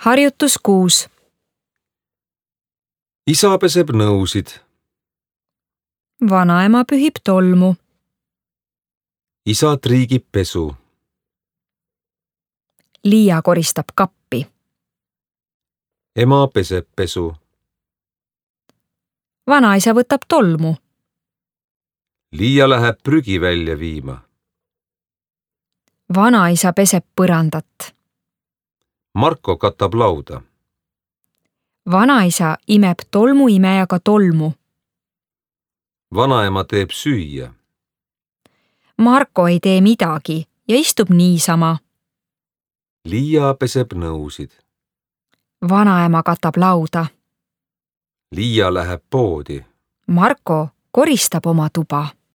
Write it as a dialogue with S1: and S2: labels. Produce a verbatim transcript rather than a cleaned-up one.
S1: Harjutus kuus.
S2: Isa peseb nõusid.
S1: Vanaema pühib tolmu.
S2: Isa triigib pesu.
S1: Liia koristab kappi.
S2: Ema peseb pesu.
S1: Vanaisa võtab tolmu.
S2: Liia läheb prügi välja viima.
S1: Vanaisa peseb põrandat.
S2: Marko katab lauda.
S1: Vanaisa imeb tolmuimejaga tolmu.
S2: Vanaema teeb süüa.
S1: Marko ei tee midagi ja istub niisama.
S2: Liia peseb nõusid.
S1: Vanaema katab lauda.
S2: Liia läheb poodi.
S1: Marko koristab oma tuba.